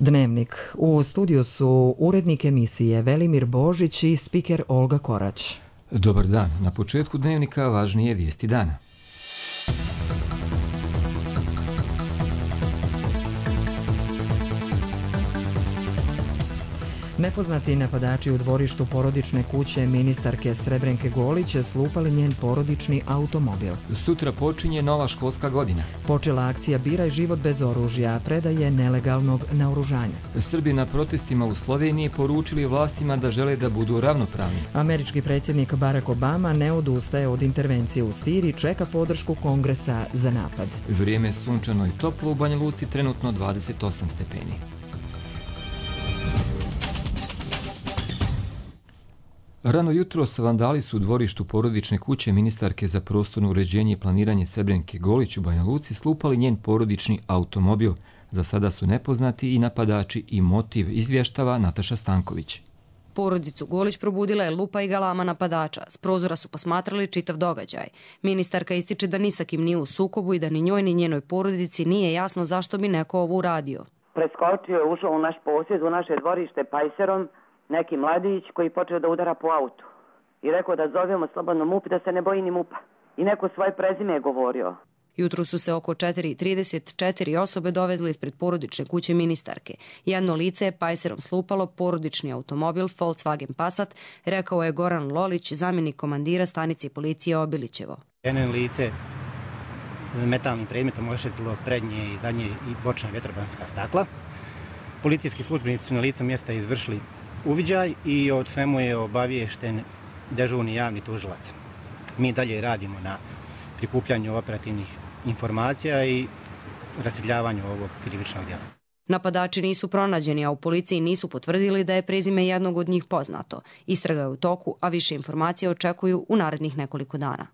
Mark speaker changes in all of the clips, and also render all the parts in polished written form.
Speaker 1: Dnevnik. U studiju su urednik emisije Velimir Božić i spiker Olga Korać.
Speaker 2: Dobar dan. Na početku Dnevnika važnije vijesti dana.
Speaker 1: Nepoznati napadači u dvorištu porodične kuće ministarke Srebrenke Golić slupali njen porodični automobil.
Speaker 2: Sutra počinje nova školska godina.
Speaker 1: Počela akcija Biraj život bez oružja, predaje nelegalnog naoružanja.
Speaker 2: Srbi na protestima u Sloveniji poručili vlastima da žele da budu ravnopravni.
Speaker 1: Američki predsjednik Barack Obama ne odustaje od intervencije u Siriji, čeka podršku Kongresa za napad.
Speaker 2: Vrijeme je sunčano i toplo, u Banja Luci trenutno 28 stepeni. Rano jutros vandali su u dvorištu porodične kuće ministarke za prostorno uređenje i planiranje Srebrenke Golić u Banja Luci slupali njen porodični automobil. Za sada su nepoznati i napadači i motiv, izvještava Nataša Stanković.
Speaker 3: Porodicu Golić probudila je lupa i galama napadača. S prozora su posmatrali čitav događaj. Ministarka ističe da ni sa kim nije u sukobu i da ni njoj ni njenoj porodici nije jasno zašto bi neko ovo uradio.
Speaker 4: Preskočio je, ušao u naš posjed, u naše dvorište pajserom, neki mladić koji počeo da udara po autu. I rekao da zovemo slobodno MUP, da se ne boji ni MUP-a. I neko svoje prezime je govorio.
Speaker 3: Jutro su se oko 4:34 osobe dovezli ispred porodične kuće ministarke. Jedno lice je pajserom slupalo porodični automobil Volkswagen Passat, rekao je Goran Lolić, zamjenik komandira stanice policije Obilićevo.
Speaker 5: Jedno lice metalnim predmetom oštetilo prednje i zadnje i bočna vjetrobranska stakla. Policijski službenici su na licu mjesta izvršili uviđaj i od svemu je obaviješten dežurni javni tužilac. Mi dalje radimo na prikupljanju operativnih informacija i rastrjebljavanju ovog krivičnog djela.
Speaker 3: Napadači nisu pronađeni, a u policiji nisu potvrdili da je prezime jednog od njih poznato. Istraga je u toku, a više informacija očekuju u narednih nekoliko dana.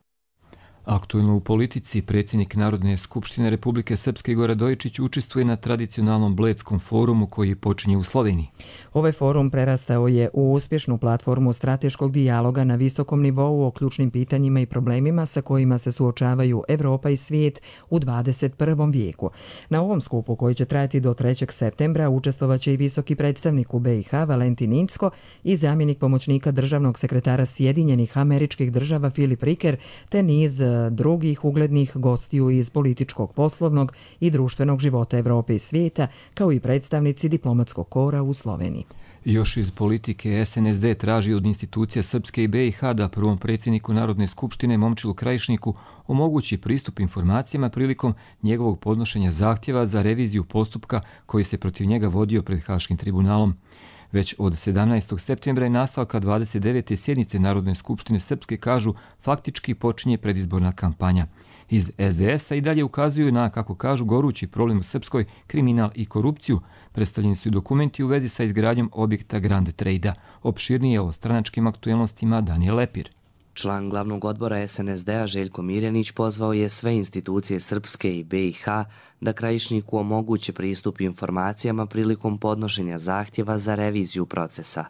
Speaker 2: Aktuelno u politici, predsjednik Narodne skupštine Republike Srpske Igor Radojičić učestvuje na tradicionalnom Bledskom forumu koji počinje u Sloveniji.
Speaker 1: Ovaj forum prerastao je u uspješnu platformu strateškog dijaloga na visokom nivou o ključnim pitanjima i problemima sa kojima se suočavaju Evropa i svijet u 21. vijeku. Na ovom skupu, koji će trajati do 3. septembra, učestvovaće i visoki predstavnik u BiH Valentin Incko i zamjenik pomoćnika državnog sekretara Sjedinjenih Američkih Država Filip Riker, te niz drugih uglednih gostiju iz političkog, poslovnog i društvenog života Evrope i svijeta, kao i predstavnici diplomatskog kora u Sloveniji.
Speaker 2: Još iz politike SNSD traži od institucija Srpske i BiH da prvom predsjedniku Narodne skupštine Momčilu Krajišniku omogući pristup informacijama prilikom njegovog podnošenja zahtjeva za reviziju postupka koji se protiv njega vodio pred Haškim tribunalom. Već od 17. septembra je nastavka 29. sjednice Narodne skupštine Srpske, kažu, faktički počinje predizborna kampanja. Iz SDS-a i dalje ukazuju na, kako kažu, gorući problem u Srpskoj, kriminal i korupciju. Predstavljeni su dokumenti u vezi sa izgradnjom objekta Grand Trade-a. Opširnije o stranačkim aktuelnostima Daniel Lepir.
Speaker 6: Član glavnog odbora SNSD-a Željko Mirjanić pozvao je sve institucije Srpske i BiH da Krajišniku omoguće pristup informacijama prilikom podnošenja zahtjeva za reviziju procesa.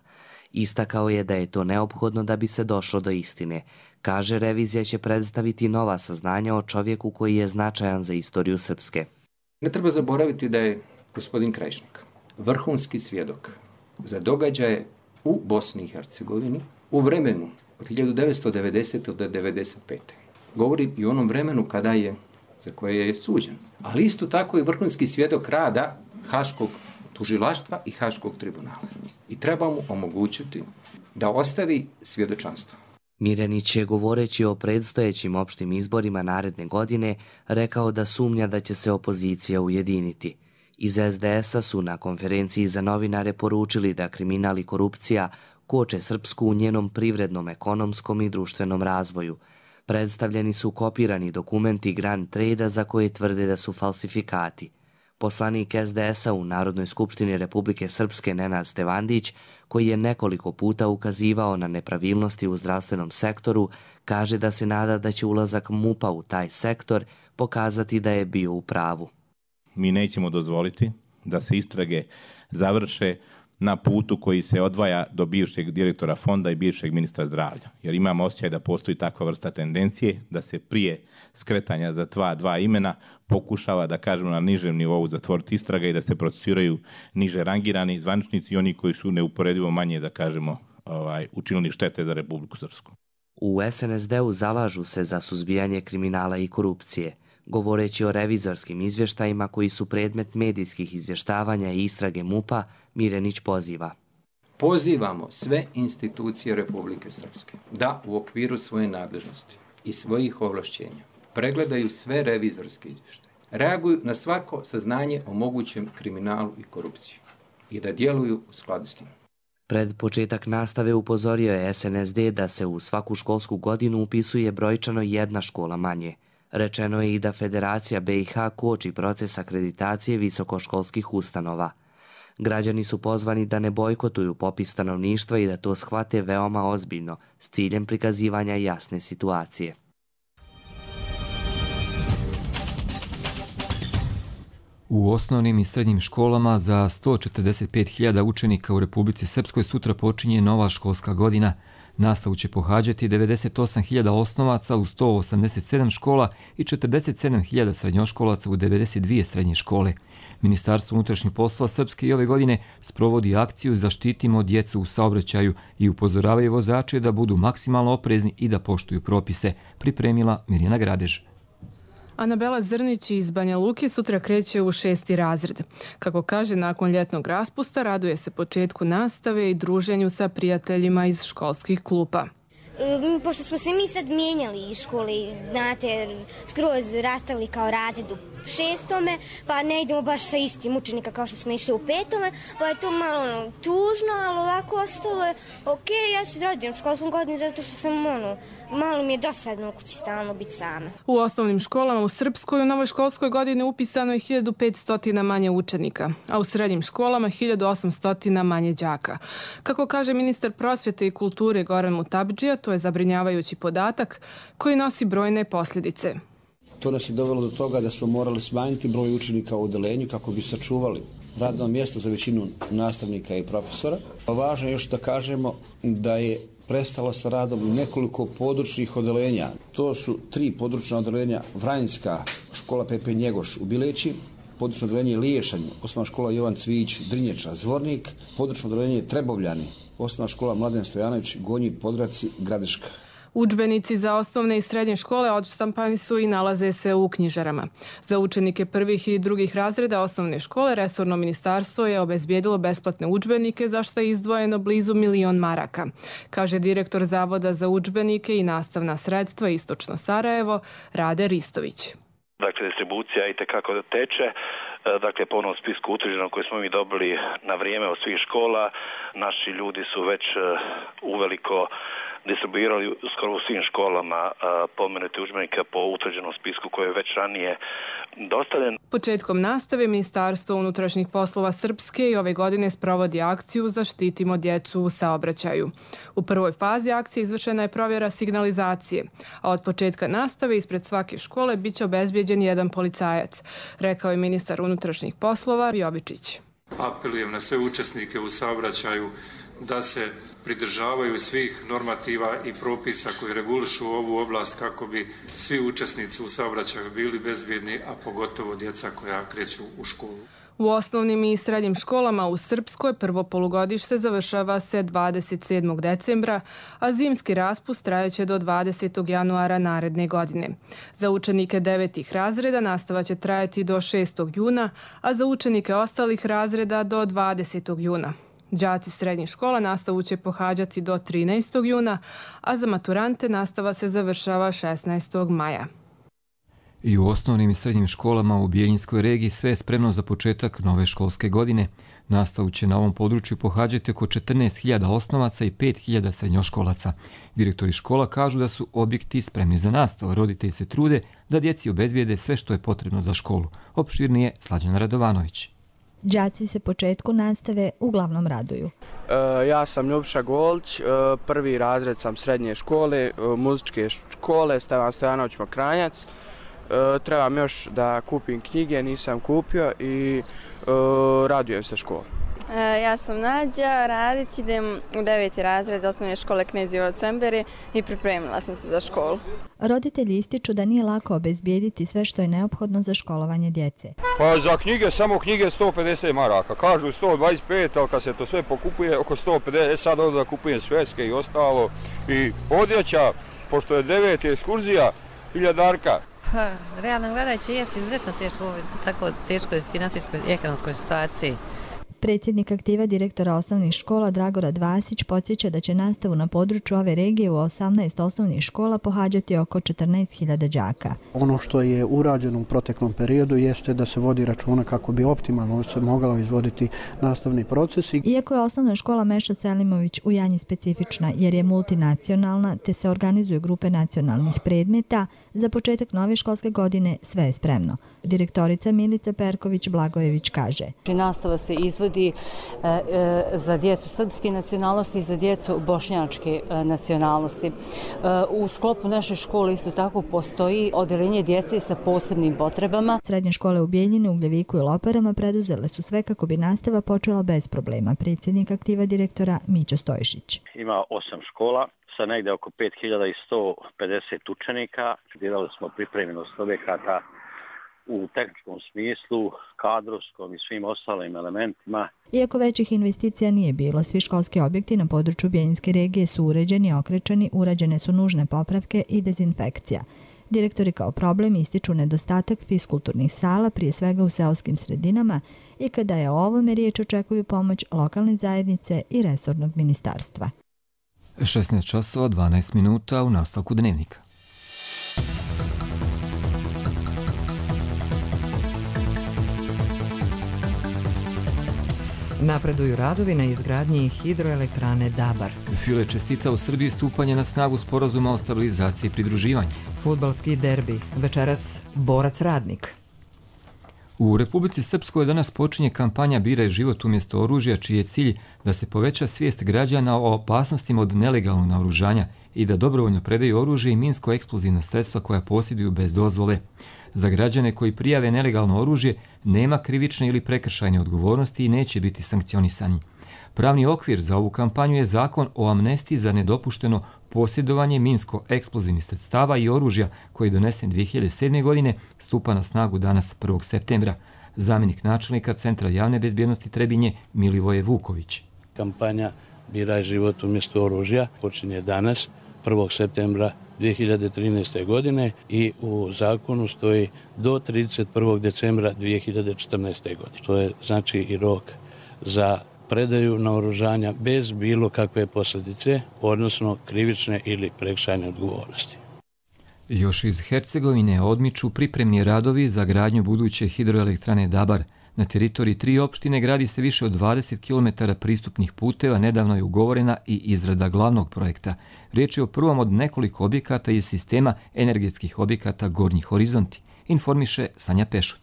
Speaker 6: Istakao je da je to neophodno da bi se došlo do istine. Kaže, revizija će predstaviti nova saznanja o čovjeku koji je značajan za istoriju Srpske.
Speaker 7: Ne treba zaboraviti da je gospodin Krajišnik vrhunski svjedok za događaje u Bosni i Hercegovini u vremenu od 1990. do 1995. Govori i o onom vremenu kada je, za koje je suđen. Ali isto tako i vrhunski svjedok rada Haškog tužilaštva i Haškog tribunala. I treba mu omogućiti da ostavi svjedočanstvo.
Speaker 6: Mirjanić je, govoreći o predstojećim opštim izborima naredne godine, rekao da sumnja da će se opozicija ujediniti. Iz SDS-a su na konferenciji za novinare poručili da kriminal i korupcija koče Srpsku u njenom privrednom, ekonomskom i društvenom razvoju. Predstavljeni su kopirani dokumenti Grand Trade-a za koje tvrde da su falsifikati. Poslanik SDS-a u Narodnoj skupštini Republike Srpske Nenad Stevandić, koji je nekoliko puta ukazivao na nepravilnosti u zdravstvenom sektoru, kaže da se nada da će ulazak MUP-a u taj sektor pokazati da je bio u pravu.
Speaker 8: Mi nećemo dozvoliti da se istrage završe na putu koji se odvaja do bivšeg direktora fonda i bivšeg ministra zdravlja. Jer imamo osjećaj da postoji takva vrsta tendencije da se prije skretanja za dva imena pokušava, da kažemo, na nižem nivou zatvoriti istraga i da se procesuiraju niže rangirani zvaničnici i oni koji su neuporedivo manje, da kažemo, učinili štete za Republiku Srpsku.
Speaker 6: U SNSD-u zalažu se za suzbijanje kriminala i korupcije. Govoreći o revizorskim izvještajima koji su predmet medijskih izvještavanja i istrage MUP-a, Mirenić poziva.
Speaker 7: Pozivamo sve institucije Republike Srpske da u okviru svoje nadležnosti i svojih ovlašćenja pregledaju sve revizorske izvještaje, reaguju na svako saznanje o mogućem kriminalu i korupciji i da djeluju u skladu s tim.
Speaker 6: Pred početak nastave upozorio je SNSD da se u svaku školsku godinu upisuje brojčano jedna škola manje. Rečeno je i da Federacija BiH koči proces akreditacije visokoškolskih ustanova. Građani su pozvani da ne bojkotuju popis stanovništva i da to shvate veoma ozbiljno, s ciljem prikazivanja jasne situacije.
Speaker 2: U osnovnim i srednjim školama za 145.000 učenika u Republici Srpskoj sutra počinje nova školska godina. Nastavu će pohađati 98.000 osnovaca u 187 škola i 47.000 srednjoškolaca u 92 srednje škole. Ministarstvo unutrašnjih poslova Srpske i ove godine sprovodi akciju Zaštitimo djecu u saobraćaju i upozoravaju vozače da budu maksimalno oprezni i da poštuju propise, pripremila Mirjana Grabež.
Speaker 9: Anabela Zrnić iz Banja Luke sutra kreće u 6. razred. Kako kaže, nakon ljetnog raspusta raduje se početku nastave i druženju sa prijateljima iz školskih klupa.
Speaker 10: Pošto smo se mi sad mijenjali iz škole, znate, skroz rastavili kao razred u 6. pa ne idemo baš sa istim učenika kao što smo išli u 5. pa je to malo tužno, ali ovako ostalo je ok. Ja se radujem školskom godinu zato što sam malo mi je dosadno u kući stalno biti sama.
Speaker 9: U osnovnim školama u Srpskoj u novoj školskoj godini upisano je 1500 manje učenika, a u srednjim školama 1800 manje đaka. Kako kaže ministar prosvjete i kulture Goran Mutabdžija, to je zabrinjavajući podatak koji nosi brojne posljedice.
Speaker 11: To nas je dovelo do toga da smo morali smanjiti broj učenika u odeljenju kako bi sačuvali radno mjesto za većinu nastavnika i profesora. Važno je još da kažemo da je prestalo sa radom nekoliko područnih odeljenja. To su 3 područna odeljenja: Vranjska škola Pepe Njegoš u Bileći, područno odeljenje Liješanj, osnovna škola Jovan Cvijić Drinječa Zvornik, područno odeljenje Trebovljani, osnovna škola Mladen Stojanović Gonji Podravci Gradiška.
Speaker 9: Udžbenici za osnovne i srednje škole odštampani su i nalaze se u knjižarama. Za učenike prvih i drugih razreda osnovne škole resorno ministarstvo je obezbijedilo besplatne udžbenike za što je izdvojeno blizu 1 milion maraka, kaže direktor Zavoda za udžbenike i nastavna sredstva Istočno Sarajevo Rade Ristović.
Speaker 12: Dakle, distribucija itekako teče. Dakle, po onom spisku utvrđenom koji smo mi dobili na vrijeme od svih škola, naši ljudi su već uveliko distribuirali skoro u svim školama pomenute udžbenike po utvrđenom spisku koji je već ranije dostavljen.
Speaker 9: Početkom nastave Ministarstvo unutrašnjih poslova Srpske i ove godine sprovodi akciju Zaštitimo djecu u saobraćaju. U prvoj fazi akcije izvršena je provjera signalizacije, a od početka nastave ispred svake škole biće obezbijeđen jedan policajac, rekao je ministar unutrašnjih poslova Jovičić.
Speaker 13: Apelujem na sve učesnike u saobraćaju da se pridržavaju svih normativa i propisa koji regulišu ovu oblast kako bi svi učesnici u saobraćaju bili bezbjedni, a pogotovo djeca koja kreću u školu.
Speaker 9: U osnovnim i srednjim školama u Srpskoj prvo polugodište završava se 27. decembra, a zimski raspust trajeće do 20. januara naredne godine. Za učenike 9. razreda nastava će trajati do 6. juna, a za učenike ostalih razreda do 20. juna. Đaci srednjih škola nastavu će pohađati do 13. juna, a za maturante nastava se završava 16. maja.
Speaker 2: I u osnovnim i srednjim školama u Bijeljinskoj regiji sve je spremno za početak nove školske godine. Nastavu će na ovom području pohađati oko 14.000 osnovaca i 5.000 srednjoškolaca. Direktori škola kažu da su objekti spremni za nastavu. Roditelji se trude da djeci obezbijede sve što je potrebno za školu. Opširnije Slađana Radovanović.
Speaker 14: Đaci se početku nastave uglavnom raduju.
Speaker 15: Ja sam Ljubiša Golić, prvi razred sam srednje škole, muzičke škole, Stevan Stojanović Mokranjac. Trebam još da kupim knjige, nisam kupio i radujem se školu.
Speaker 16: Ja sam Nađa Radić, idem u 9. razred osnovne škole Knez Ivo Cemberi i pripremila sam se za školu.
Speaker 14: Roditelji ističu da nije lako obezbijediti sve što je neophodno za školovanje djece.
Speaker 17: Pa za knjige, samo knjige 150 maraka. Kažu 125, ali kad se to sve pokupuje oko 150, sad ovdje da kupujem sveske i ostalo. I odjeća, pošto je 9. ekskurzija, 1000.
Speaker 18: Realno gledajući jest izuzetno teško u ovoj tako teškoj financijskoj i ekonomskoj situaciji.
Speaker 14: Predsjednik aktiva direktora osnovnih škola Dragorad Vasić podsjeća da će nastavu na području ove regije u 18 osnovnih škola pohađati oko 14.000 đaka.
Speaker 19: Ono što je urađeno u proteklom periodu jeste da se vodi računa kako bi optimalno se mogao izvoditi nastavni procesi.
Speaker 14: Iako je osnovna škola Meša Selimović u Janji specifična jer je multinacionalna te se organizuju grupe nacionalnih predmeta, za početak nove školske godine sve je spremno. Direktorica Milica Perković-Blagojević kaže:
Speaker 20: Nastava se izvodi za djecu srpske nacionalnosti i za djecu bošnjačke nacionalnosti. U sklopu naše škole isto tako postoji odeljenje djece sa posebnim potrebama.
Speaker 14: Srednje škole u Bijeljini, Ugljeviku i Loparama preduzele su sve kako bi nastava počela bez problema. Predsjednik aktiva direktora Mića Stojšić.
Speaker 21: Ima 8 škola sa negde oko 5150 učenika. Dirali smo pripremljenost objekata u tehničkom smislu, kadrovskom i svim ostalim elementima.
Speaker 14: Iako većih investicija nije bilo, svi školski objekti na području Bijeljinske regije su uređeni, okrečeni, urađene su nužne popravke i dezinfekcija. Direktori kao problem ističu nedostatak fiskulturnih sala, prije svega u seoskim sredinama, i kada je o ovome riječ očekuju pomoć lokalne zajednice i resornog ministarstva.
Speaker 2: 16 časova 12 minuta u nastavku dnevnika.
Speaker 1: Napreduju radovi na izgradnji hidroelektrane Dabar.
Speaker 2: File čestita u Srbiji stupanje na snagu sporazuma o stabilizaciji i pridruživanju.
Speaker 1: Fudbalski derbi, večeras Borac Radnik.
Speaker 2: U Republici Srpskoj danas počinje kampanja Biraj život umjesto oružja, čiji je cilj da se poveća svijest građana o opasnostima od nelegalnog naoružanja i da dobrovoljno predaju oružje i minsko-eksplozivna sredstva koja posjeduju bez dozvole. Za građane koji prijave nelegalno oružje nema krivične ili prekršajne odgovornosti i neće biti sankcionisani. Pravni okvir za ovu kampanju je zakon o amnestiji za nedopušteno posjedovanje minsko-eksplozivnih sredstava i oružja koji je donesen 2007. godine, stupa na snagu danas 1. septembra. Zamjenik načelnika Centra javne bezbjednosti Trebinje Milivoje Vuković.
Speaker 22: Kampanja Biraj život umjesto oružja počinje danas 1. septembra 2013. godine i u zakonu stoji do 31. decembra 2014. godine. To je znači i rok za predaju naoružanja bez bilo kakve posljedice, odnosno krivične ili prekršajne odgovornosti.
Speaker 2: Još iz Hercegovine odmiču pripremni radovi za gradnju buduće hidroelektrane Dabar. Na teritoriji 3 opštine gradi se više od 20 km pristupnih puteva, nedavno je ugovorena i izrada glavnog projekta. Riječ je o prvom od nekoliko objekata iz sistema energetskih objekata Gornji horizonti, informiše Sanja Pešut.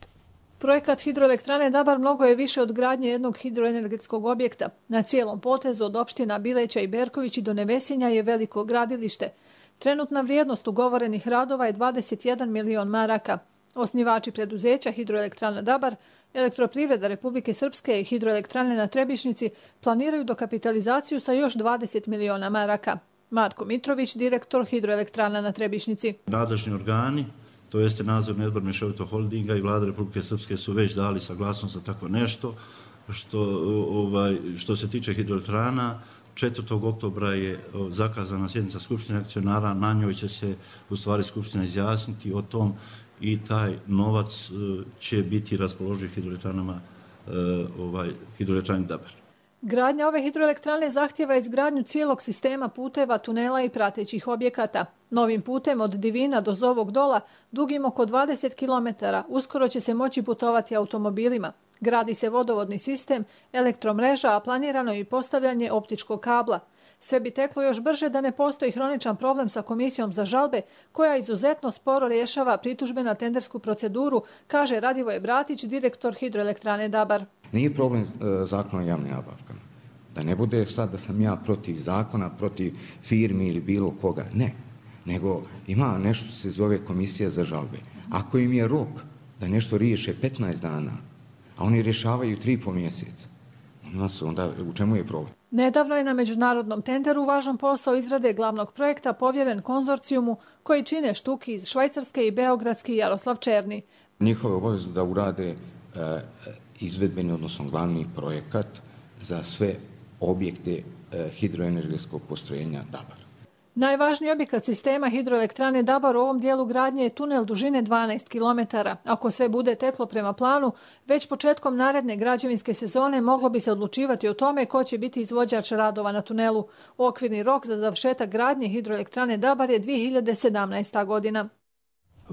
Speaker 23: Projekat hidroelektrane Dabar mnogo je više od gradnje jednog hidroenergetskog objekta. Na cijelom potezu od opština Bileća i Berkovići do Nevesinja je veliko gradilište. Trenutna vrijednost ugovorenih radova je 21 milion maraka. Osnivači preduzeća hidroelektrana Dabar, Elektroprivreda Republike Srpske i hidroelektrane na Trebišnici planiraju dokapitalizaciju sa još 20 miliona maraka. Marko Mitrović, direktor hidroelektrana na Trebišnici.
Speaker 24: Nadležni organi, to jeste nadzorni odbor Mješovitog holdinga i vlada Republike Srpske su već dali saglasnost za tako nešto. Što se tiče hidroelektrana, 4. oktobra je zakazana sjednica Skupštine akcionara, na njoj će se u stvari Skupština izjasniti o tom i taj novac će biti raspoloživ hidroelektrani Dabar.
Speaker 23: Gradnja ove hidroelektrane zahtjeva izgradnju cijelog sistema puteva, tunela i pratećih objekata. Novim putem od Divina do Zovog Dola, dugim oko 20 km, uskoro će se moći putovati automobilima. Gradi se vodovodni sistem, elektromreža, a planirano je i postavljanje optičkog kabla. Sve bi teklo još brže da ne postoji hroničan problem sa Komisijom za žalbe, koja izuzetno sporo rješava pritužbe na tendersku proceduru, kaže Radivoje Bratić, direktor hidroelektrane Dabar.
Speaker 25: Nije problem zakon o javnim nabavkama. Da ne bude sad da sam ja protiv zakona, protiv firmi ili bilo koga. Ne. Nego ima nešto se zove Komisija za žalbe. Ako im je rok da nešto riješe 15 dana, a oni rješavaju 3,5 mjeseca, onda u čemu je problem?
Speaker 23: Nedavno je na međunarodnom tenderu važan posao izrade glavnog projekta povjeren konzorcijumu koji čine Štuki iz Švajcarske i Beogradski Jaroslav Černi.
Speaker 25: Njihove obavezu da urade izvedbeni, odnosno glavni projekat za sve objekte hidroenergetskog postrojenja Dabar.
Speaker 23: Najvažniji objekat sistema hidroelektrane Dabar u ovom dijelu gradnje je tunel dužine 12 km. Ako sve bude teklo prema planu, već početkom naredne građevinske sezone moglo bi se odlučivati o tome ko će biti izvođač radova na tunelu. Okvirni rok za završetak gradnje hidroelektrane Dabar je 2017. godina.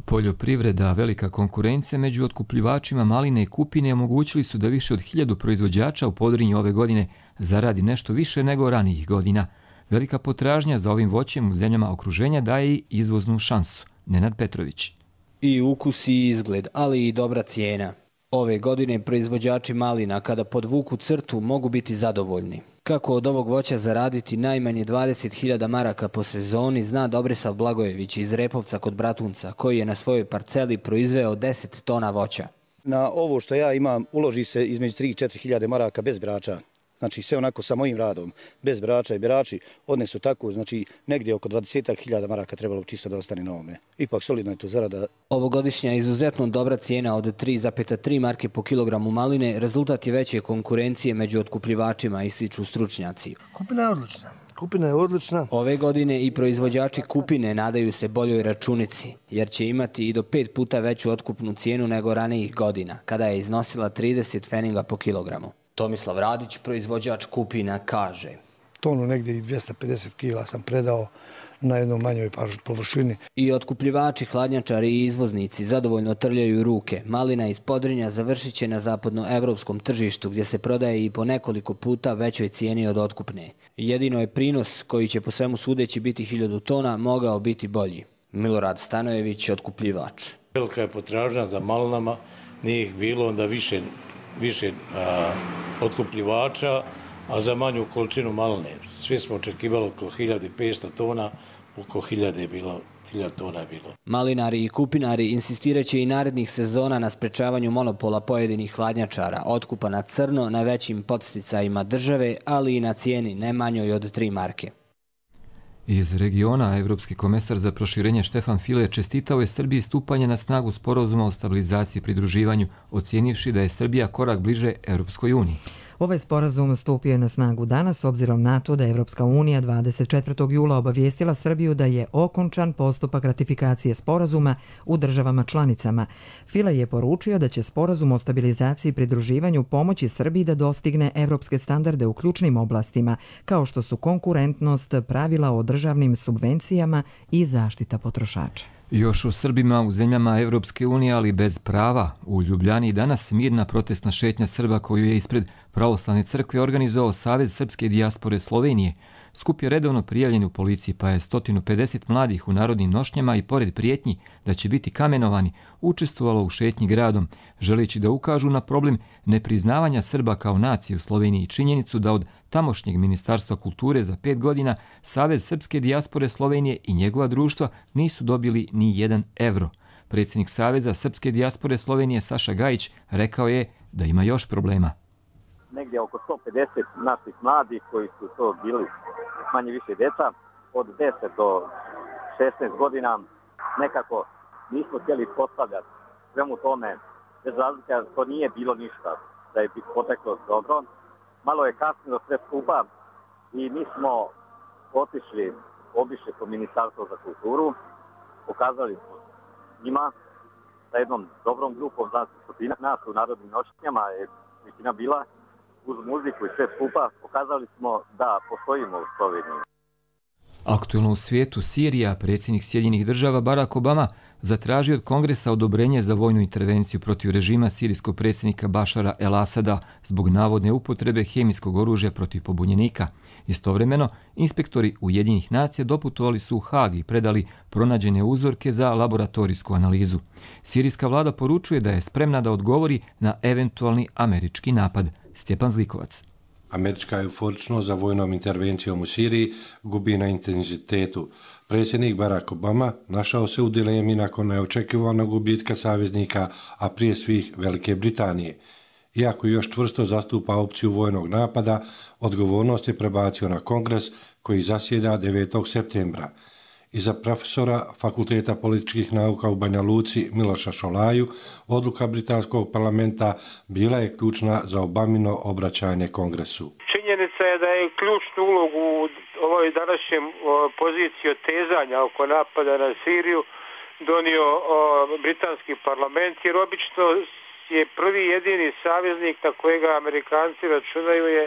Speaker 2: Poljoprivreda, velika konkurencija među otkupljivačima maline i kupine omogućili su da više od 1000 proizvođača u Podrinju ove godine zaradi nešto više nego ranijih godina. Velika potražnja za ovim voćem u zemljama okruženja daje i izvoznu šansu. Nenad Petrović.
Speaker 3: I ukus i izgled, ali i dobra cijena. Ove godine proizvođači malina kada podvuku crtu mogu biti zadovoljni. Kako od ovog voća zaraditi najmanje 20.000 maraka po sezoni zna Dobrisav Blagojević iz Repovca kod Bratunca, koji je na svojoj parceli proizveo 10 tona voća.
Speaker 4: Na ovo što ja imam uloži se između 3 i 4.000 maraka bez brača. Znači sve onako sa mojim radom, bez brača i berači odnesu tako, znači negdje oko 20.000 maraka trebalo čisto da ostane na ovome. Ipak solidno je to zarada.
Speaker 3: Ovogodišnja izuzetno dobra cijena od 3,3 marke po kilogramu maline rezultat je veće konkurencije među otkupljivačima, ističu stručnjaci.
Speaker 5: Kupina je odlična.
Speaker 3: Ove godine i proizvođači kupine nadaju se boljoj računici, jer će imati i do 5 puta veću otkupnu cijenu nego ranijih godina, kada je iznosila 30 feninga po kilogramu. Tomislav Radić, proizvođač kupina, kaže:
Speaker 5: Tonu negdje i 250 kila sam predao na jednoj manjoj površini.
Speaker 3: I otkupljivači, hladnjačari i izvoznici zadovoljno trljaju ruke. Malina iz Podrinja završit će na zapadnoevropskom tržištu gdje se prodaje i po nekoliko puta većoj cijeni od otkupne. Jedino je prinos, koji će po svemu sudeći biti 1000 tona, mogao biti bolji. Milorad Stanojević, otkupljivač.
Speaker 7: Velika je potražnja za malinama, nije ih bilo onda više otkupljivača, a za manju količinu maline. Svi smo očekivali oko 1500 tona, oko 1000 je bilo. 1000 tona je bilo.
Speaker 3: Malinari i kupinari insistiraće i narednih sezona na sprečavanju monopola pojedinih hladnjačara, otkupa na crno, na većim podsticajima države, ali i na cijeni ne manjoj od 3 marke.
Speaker 2: Iz regiona, evropski komesar za proširenje Štefan File čestitao je Srbiji stupanje na snagu sporazuma o stabilizaciji i pridruživanju, ocijenivši da je Srbija korak bliže Evropskoj uniji.
Speaker 1: Ovaj sporazum stupio je na snagu danas, obzirom na to da je Evropska unija 24. jula obavijestila Srbiju da je okončan postupak ratifikacije sporazuma u državama članicama. File je poručio da će sporazum o stabilizaciji i pridruživanju pomoći Srbiji da dostigne evropske standarde u ključnim oblastima, kao što su konkurentnost, pravila o državnim subvencijama i zaštita potrošača.
Speaker 2: Još o Srbima u zemljama Evropske unije, ali bez prava. U Ljubljani danas mirna protestna šetnja Srba koju je ispred Pravoslavne crkve organizovao Savez srpske dijaspore Slovenije. Skup je redovno prijavljen u policiji, pa je 150 mladih u narodnim nošnjama i pored prijetnji da će biti kamenovani učestvovalo u šetnji gradom, želeći da ukažu na problem nepriznavanja Srba kao nacije u Sloveniji i činjenicu da od tamošnjeg Ministarstva kulture za 5 godina Savez srpske dijaspore Slovenije i njegova društva nisu dobili ni 1 evro. Predsjednik Saveza srpske dijaspore Slovenije Saša Gajić rekao je da ima još problema.
Speaker 8: Negdje oko 150 naših mladih koji su to bili manje više djeca, od 10 do 16 godina, nekako nismo htjeli postavljati svemu tome, bez razlika, to nije bilo ništa, da je poteklo dobro. Malo je kasnilo sve skupa i mi smo obišli po Ministarstvo za kulturu, pokazali smo njima sa jednom dobrom grupom, nas u narodnim nošnjama je većina bila, uz muziku i sve skupa, pokazali smo da postojimo u Sloveniji.
Speaker 2: Aktuelno u svijetu, Sirija, predsjednik Sjedinjenih država Barack Obama zatražio od Kongresa odobrenje za vojnu intervenciju protiv režima sirijskog predsjednika Bašara el-Asada zbog navodne upotrebe hemijskog oružja protiv pobunjenika. Istovremeno, inspektori Ujedinjenih nacija doputovali su u Hag i predali pronađene uzorke za laboratorijsku analizu. Sirijska vlada poručuje da je spremna da odgovori na eventualni američki napad. Stjepan Zlikovac.
Speaker 26: Američka euforičnost za vojnom intervencijom u Siriji gubi na intenzitetu. Predsjednik Barack Obama našao se u dilemi nakon neočekivanog gubitka saveznika, a prije svih Velike Britanije. Iako još čvrsto zastupa opciju vojnog napada, odgovornost je prebacio na kongres koji zasjeda 9. septembra. I za profesora Fakulteta političkih nauka u Banja Luci Miloša Šolaju, odluka britanskog parlamenta bila je ključna za Obamino obraćanje kongresu.
Speaker 6: Činjenica je da je ključnu ulogu u ovoj današnjem poziciji otezanja oko napada na Siriju donio britanski parlament, jer obično je prvi jedini saveznik na kojega Amerikanci računaju je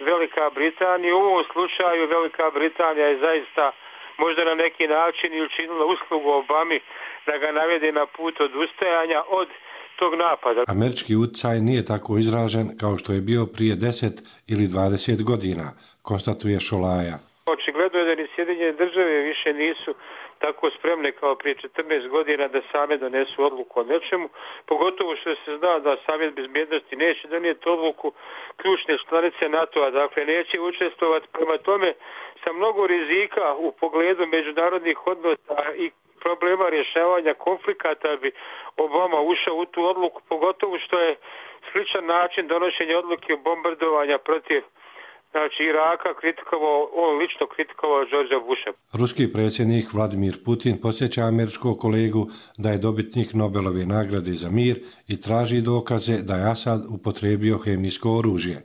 Speaker 6: Velika Britanija. U ovom slučaju Velika Britanija je zaista možda na neki način i učinila uslugu Obami da ga navede na put odustajanja od tog napada.
Speaker 26: Američki utjecaj nije tako izražen kao što je bio prije 10 ili 20 godina, konstatuje Šolaja.
Speaker 6: Očigledno je da ni Sjedinjene države više nisu tako spremne kao prije 14 godina da same donesu odluku o nečemu, pogotovo što se zna da Savjet bezbjednosti neće donijeti odluku ključne članice NATO-a, dakle neće učestvovati. Prema tome, sa mnogo rizika u pogledu međunarodnih odnosa i problema rješavanja konflikata bi Obama ušao u tu odluku, pogotovo što je sličan način donošenja odluke o bombardovanja protiv Iraka on lično kritikovao Georgea Busha.
Speaker 26: Ruski predsjednik Vladimir Putin podsjeća američkog kolegu da je dobitnik Nobelove nagrade za mir i traži dokaze da je Asad upotrijebio hemijsko oružje.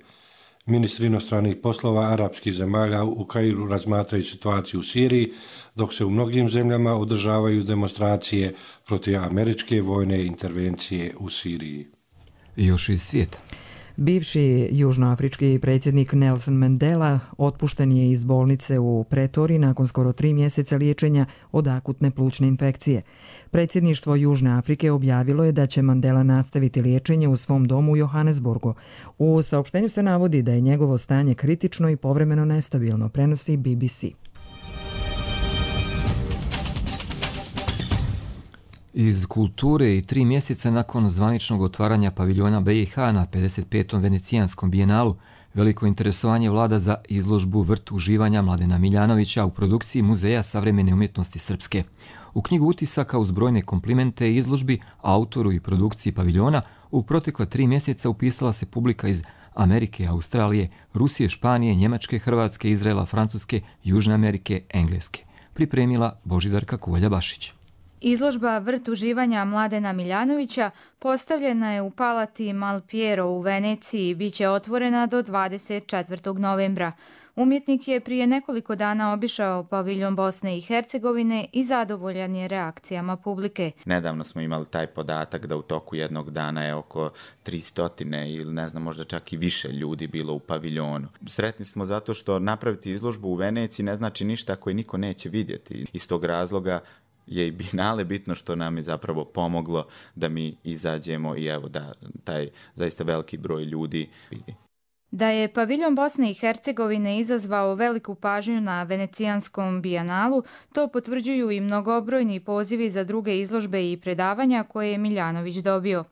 Speaker 26: Ministri inostranih poslova arapskih zemalja u Kairu razmatraju situaciju u Siriji, dok se u mnogim zemljama održavaju demonstracije protiv američke vojne intervencije u Siriji.
Speaker 2: Još iz svijeta.
Speaker 1: Bivši južnoafrički predsjednik Nelson Mandela otpušten je iz bolnice u Pretori nakon skoro 3 mjeseca liječenja od akutne plućne infekcije. Predsjedništvo Južne Afrike objavilo je da će Mandela nastaviti liječenje u svom domu u Johannesburgu. U saopštenju se navodi da je njegovo stanje kritično i povremeno nestabilno, prenosi BBC.
Speaker 2: Iz kulture i 3 mjeseca nakon zvaničnog otvaranja paviljona BiH na 55. Venecijanskom bijenalu, veliko interesovanje vlada za izložbu Vrt uživanja Mladena Miljanovića u produkciji Muzeja savremene umjetnosti srpske. U knjigu utisaka uz brojne komplimente i izložbi autoru i produkciji paviljona u protekla 3 mjeseca upisala se publika iz Amerike, Australije, Rusije, Španije, Njemačke, Hrvatske, Izraela, Francuske, Južne Amerike, Engleske. Pripremila Božidarka Kuvalja-Bašić.
Speaker 9: Izložba Vrt uživanja Mladena Miljanovića postavljena je u Palati Malpiero u Veneciji i bit će otvorena do 24. novembra. Umjetnik je prije nekoliko dana obišao paviljon Bosne i Hercegovine i zadovoljan je reakcijama publike.
Speaker 10: Nedavno smo imali taj podatak da u toku jednog dana je oko 300 ili ne znam, možda čak i više ljudi bilo u paviljonu. Sretni smo zato što napraviti izložbu u Veneciji ne znači ništa ako je niko neće vidjeti. Iz tog razloga je i Bijenale bitno što nam je zapravo pomoglo da mi izađemo i evo da taj zaista veliki broj ljudi vidi.
Speaker 9: Da je paviljon Bosne i Hercegovine izazvao veliku pažnju na Venecijanskom bijenalu, to potvrđuju i mnogobrojni pozivi za druge izložbe i predavanja koje je Miljanović dobio.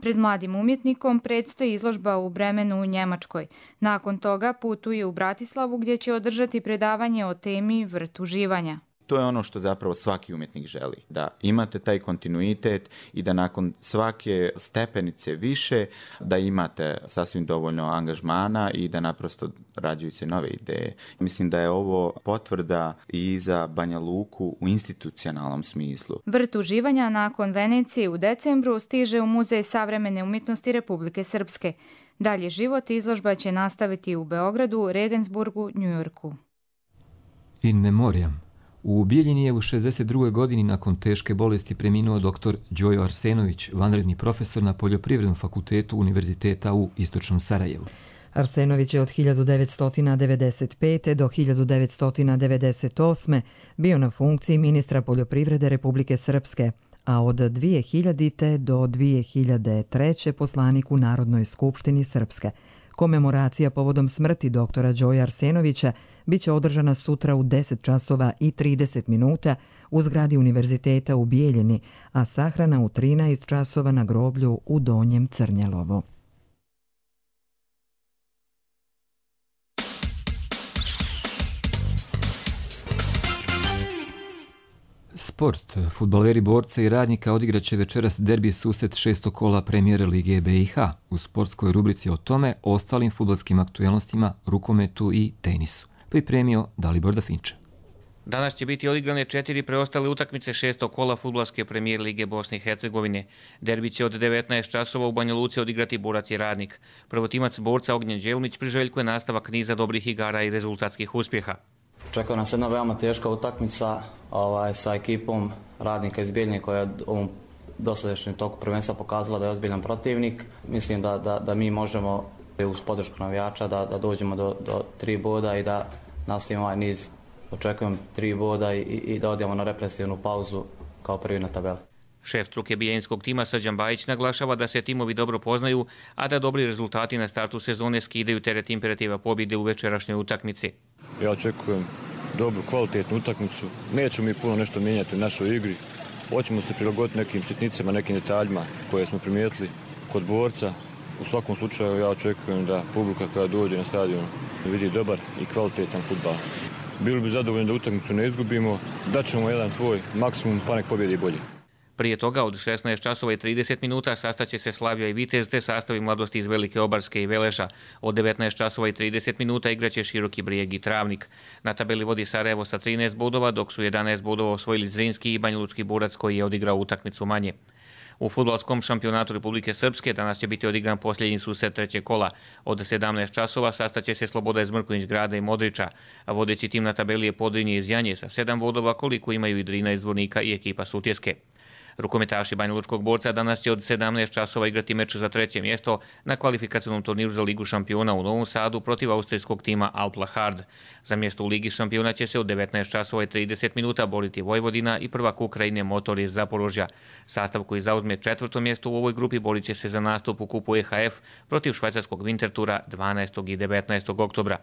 Speaker 9: Pred mladim umjetnikom predstoji izložba u Bremenu u Njemačkoj. Nakon toga putuje u Bratislavu gdje će održati predavanje o temi Vrt uživanja.
Speaker 10: To je ono što zapravo svaki umjetnik želi, da imate taj kontinuitet i da nakon svake stepenice više da imate sasvim dovoljno angažmana i da naprosto rađuju se nove ideje. Mislim da je ovo potvrda i za Banja Luku u institucionalnom smislu.
Speaker 9: Vrt uživanja nakon Venecije u decembru stiže u Muzej savremene umjetnosti Republike Srpske. Dalje život izložba će nastaviti u Beogradu, Regensburgu, Njujorku.
Speaker 2: In memoriam. U Bijeljini je u 62. godini nakon teške bolesti preminuo dr. Đojo Arsenović, vanredni profesor na Poljoprivrednom fakultetu Univerziteta u Istočnom Sarajevu.
Speaker 1: Arsenović je od 1995. do 1998. bio na funkciji ministra poljoprivrede Republike Srpske, a od 2000. do 2003. poslanik u Narodnoj skupštini Srpske. Komemoracija povodom smrti doktora Đoja Arsenovića biće održana sutra u 10 časova i 30 minuta u zgradi Univerziteta u Bijeljini, a sahrana u 13 časova na groblju u Donjem Crnjelovu.
Speaker 2: Sport. Fudbaleri Borca i Radnika odigraće večeras derbi susret 6. kola premijere Lige BiH. U sportskoj rubrici o tome, ostalim fudbalskim aktuelnostima, rukometu i tenisu. Pripremio Dalibor Dafinče.
Speaker 11: Danas će biti odigrane 4 preostale utakmice 6. kola fudbalske premijer Lige Bosne i Hercegovine. Derbi će od 19 časova u Banja Luci odigrati Borac i Radnik. Prvotimac Borca Ognjen Đelmić priželjkuje nastavak niza dobrih igara i rezultatskih uspjeha.
Speaker 12: Čeka nas jedna veoma teška utakmica sa ekipom Radnika iz Bijeljine koja je ovom dosadašnjem toku prvenstva pokazala da je ozbiljan protivnik. Mislim da mi možemo uz podršku navijača da dođemo do 3 boda i da nastavimo ovaj niz. Očekujem 3 boda i da odemo na represivnu pauzu kao prvi na tabeli.
Speaker 11: Šef struke bijeljinskog tima Srđan Bajić naglašava da se timovi dobro poznaju, a da dobri rezultati na startu sezone skidaju teret imperativa pobjede u večerašnjoj utakmici.
Speaker 13: Ja očekujem dobru, kvalitetnu utakmicu. Nećemo mi puno nešto mijenjati u našoj igri. Hoćemo se prilagoditi nekim sitnicama, nekim detaljima koje smo primijetili kod Borca. U svakom slučaju ja očekujem da publika koja dođe na stadion vidi dobar i kvalitetan fudbal. Bili bi zadovoljni da utakmicu ne izgubimo, daćemo jedan svoj maksimum pa nek pobjedi bolje.
Speaker 11: Prije toga od 16 časova i 30 minuta sastaće se Slavija i Vitez te sastavi mladosti iz Velike Obarske i Veleža. Od 19 časova i 30 minuta igraće Široki Brijeg i Travnik. Na tabeli vodi Sarajevo sa 13 bodova, dok su 11 bodova osvojili Zrinski i Banjalučki Borac koji je odigrao utakmicu manje. U fudbalskom šampionatu Republike Srpske danas će biti odigran posljednji susret 3. kola. Od 17 časova sastaće se Sloboda iz Mrkonjić Grada i Modrića, a vodeći tim na tabeli je Podrinje iz Janje sa 7 bodova koliko imaju i Drina iz Zvornika i ekipa Sutjeske. Rukometaši Banjalučkog Borca danas će od 17 časova igrati meč za 3. mjesto na kvalifikacionom turniru za Ligu šampiona u Novom Sadu protiv austrijskog tima Alpla Hard. Za mjesto u Ligi šampiona će se od 19 časova i 30 minuta boriti Vojvodina i prvak Ukrajine Motor iz Zaporožja. Sastav koji zauzme 4. mjesto u ovoj grupi borit će se za nastup u kupu EHF protiv švajcarskog Wintertura 12. i 19. oktobra.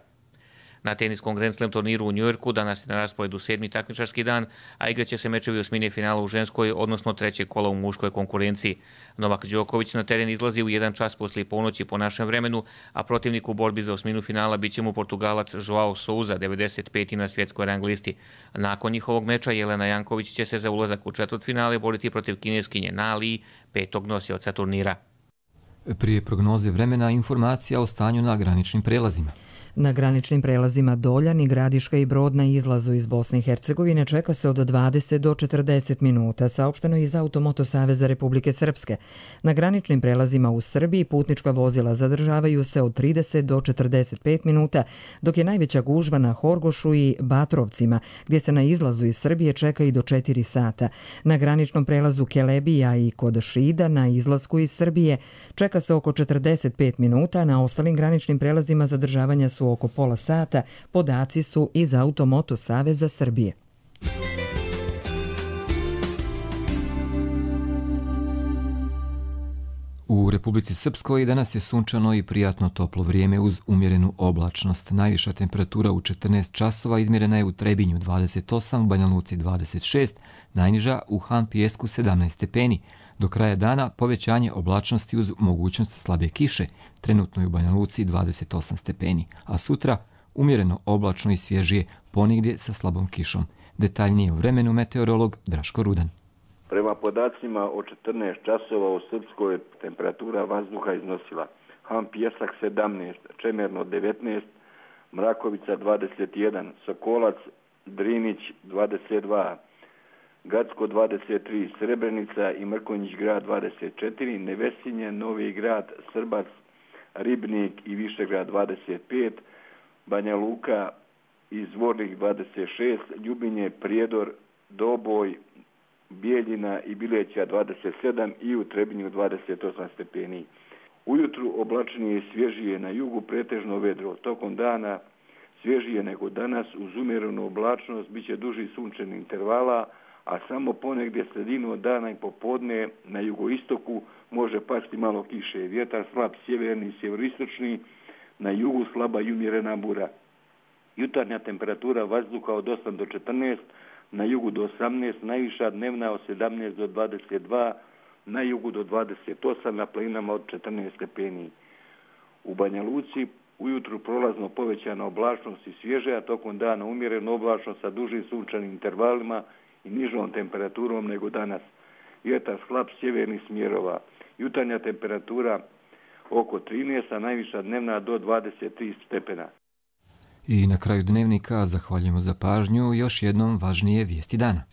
Speaker 11: Na teniskom Grand Slam turniru u Njujorku danas je na rasporedu 7. takmičarski dan, a igraće se mečevi osmine finala u ženskoj, odnosno 3. kola u muškoj konkurenciji. Novak Đoković na teren izlazi u 1 čas poslije ponoći po našem vremenu, a protivnik u borbi za osminu finala bit će mu Portugalac Joao Souza, 95. na svjetskoj rang listi. Nakon njihovog meča Jelena Janković će se za ulazak u četvrtfinale boriti protiv kineskinje Na Li, 5. nosioca turnira.
Speaker 2: Prije prognoze vremena informacija o stanju na graničnim prelazima.
Speaker 1: Na graničnim prelazima Doljan, Gradiška i Brod na izlazu iz Bosne i Hercegovine čeka se od 20 do 40 minuta, saopšteno iz Automoto Saveza Republike Srpske. Na graničnim prelazima u Srbiji putnička vozila zadržavaju se od 30 do 45 minuta, dok je najveća gužva na Horgošu i Batrovcima, gdje se na izlazu iz Srbije čeka i do 4 sata. Na graničnom prelazu Kelebija i kod Šida na izlasku iz Srbije čeka se oko 45 minuta, na ostalim graničnim prelazima zadržavanja su oko pola sata, podaci su iz Automoto Saveza Srbije.
Speaker 2: U Republici Srpskoj danas je sunčano i prijatno toplo vrijeme uz umjerenu oblačnost. Najviša temperatura u 14 časova izmjerena je u Trebinju 28, u Banja Luci 26, najniža u Han Pijesku 17 stepeni. Do kraja dana povećanje oblačnosti uz mogućnost slabe kiše, trenutno je u Banja Luci 28 stepeni, a sutra umjereno oblačno i svježije, ponigdje sa slabom kišom. Detaljnije o vremenu meteorolog Draško Rudan.
Speaker 15: Prema podacima od 14 časova u Srpskoj temperatura vazduha iznosila Han Pijesak 17, Čemerno 19, Mrakovica 21, Sokolac, Drinić 22, Gacko 23, Srebrenica i Mrkonjić Grad 24, Nevesinje, Novi Grad, Srbac, Ribnik i Višegrad 25, Banja Luka i Zvornik 26, Ljubinje, Prijedor, Doboj, Bijeljina i Bileća 27 i u Trebinju 28 stepeni. Ujutru oblačnije i svježije, na jugu pretežno vedro, tokom dana svježije nego danas, uz umjerenu oblačnost bit će duži sunčani intervala, a samo ponegdje sredinu dana i popodne na jugoistoku može pasti malo kiše. Vjetar slab sjeverni i sjeveristočni, na jugu slaba i umjerena bura. Jutarnja temperatura vazduha od 8 do 14, na jugu do 18, najviša dnevna od 17 do 22, na jugu do 28, na planinama od 14 stepeni. U Banja Luci ujutru prolazno povećana oblačnost i svježe, a tokom dana umjerena oblačnost sa dužim sunčanim intervalima i nižom temperaturom nego danas. Vjetar slab sjevernih smjerova. Jutarnja temperatura oko 13, a najviša dnevna do 23 stepena.
Speaker 2: I na kraju dnevnika zahvaljujemo za pažnju, još jednom važnije vijesti dana.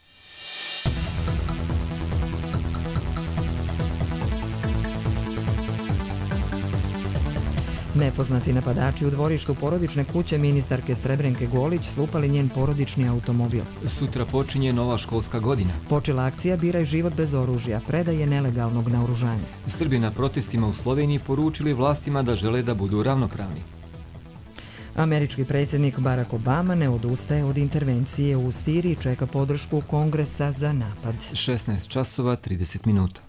Speaker 1: Nepoznati napadači u dvorištu porodične kuće ministarke Srebrenke Golić slupali njen porodični automobil.
Speaker 2: Sutra počinje nova školska godina.
Speaker 1: Počela akcija Biraj život bez oružja, predaje nelegalnog naoružanja.
Speaker 2: Srbi na protestima u Sloveniji poručili vlastima da žele da budu ravnopravni.
Speaker 1: Američki predsjednik Barack Obama ne odustaje od intervencije u Siriji, čeka podršku Kongresa za napad.
Speaker 2: 16 časova 30 minuta.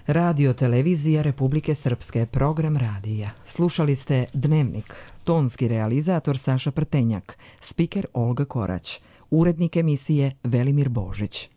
Speaker 1: Radio Televizija Republike Srpske, program radija. Slušali ste Dnevnik, tonski realizator Saša Prtenjak, spiker Olga Korać, urednik emisije Velimir Božić.